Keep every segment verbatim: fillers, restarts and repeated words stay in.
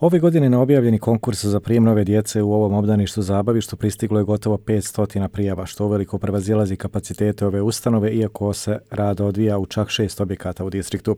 Ove godine na objavljeni konkurs za prijem nove djece u ovom obdaništu zabavištu pristiglo je gotovo petsto prijava, što uveliko prevazilazi kapacitete ove ustanove, iako se rad odvija u čak šest objekata u distriktu.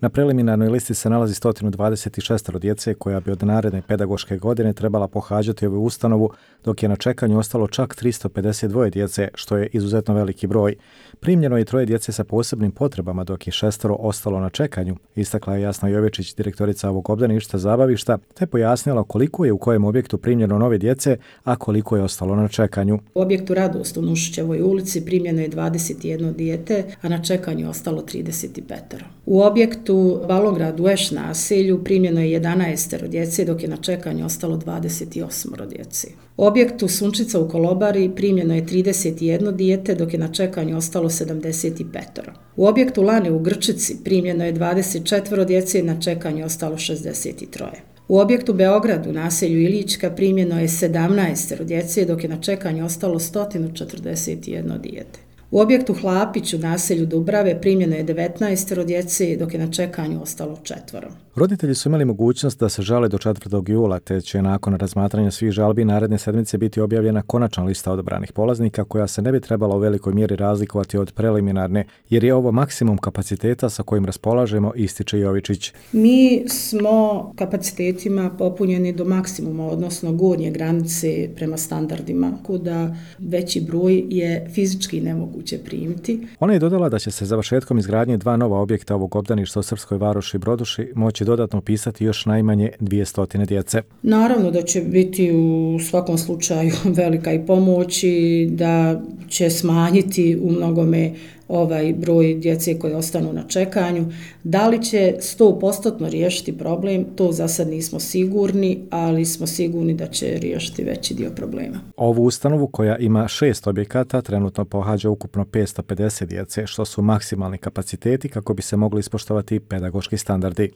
Na preliminarnoj listi se nalazi sto dvadeset šest djece koja bi od naredne pedagoške godine trebala pohađati ovu ustanovu, dok je na čekanju ostalo čak tristo pedeset dva djece, što je izuzetno veliki broj. Primljeno je troje djece sa posebnim potrebama, dok je šestoro ostalo na čekanju, istakla je Jasna Jovečić, direktorica ovog obdaništa zabavišta, te pojasnila koliko je u kojem objektu primljeno nove djece, a koliko je ostalo na čekanju. U objektu Radost u Nušićevoj ulici primljeno je dvadeset jedno dijete, a na čekanju je ostalo trideset pet. U objektu U Balograd u Eš naselju primljeno je jedanaest djece, dok je na čekanju ostalo dvadeset osam djece. U objektu Sunčica u Kolobari primljeno je trideset jedno dijete, dok je na čekanju ostalo sedamdeset pet. U objektu Lane u Grčici primljeno je dvadeset četiri djece, na čekanju je ostalo šezdeset tri. U objektu Beograd u naselju Ilićka primljeno je sedamnaest djece, dok je na čekanju ostalo sto četrdeset jedno dijete. U objektu Hlapić u naselju Dubrave primljeno je devetnaest djece, dok je na čekanju ostalo četvoro. Roditelji su imali mogućnost da se žale do četvrtog jula, te će nakon razmatranja svih žalbi naredne sedmice biti objavljena konačna lista odabranih polaznika, koja se ne bi trebala u velikoj mjeri razlikovati od preliminarne, jer je ovo maksimum kapaciteta sa kojim raspolažemo, ističe Jovičić. Mi smo kapacitetima popunjeni do maksimuma, odnosno gornje granice prema standardima, kuda veći broj je fizički nemoguće primiti. Ona je dodala da će se završetkom izgradnje dva nova objekta ovog obdaništa u Srpskoj Varoši i Broduši moći dodatno upisati još najmanje dvjesto djece. Naravno da će biti u svakom slučaju velika i pomoć i da će smanjiti u mnogome ovaj broj djece koji ostanu na čekanju. Da li će sto posto riješiti problem, to za sad nismo sigurni, ali smo sigurni da će riješiti veći dio problema. Ovu ustanovu, koja ima šest objekata, trenutno pohađa ukupno petsto pedeset djece, što su maksimalni kapaciteti kako bi se mogli ispoštovati pedagoški standardi.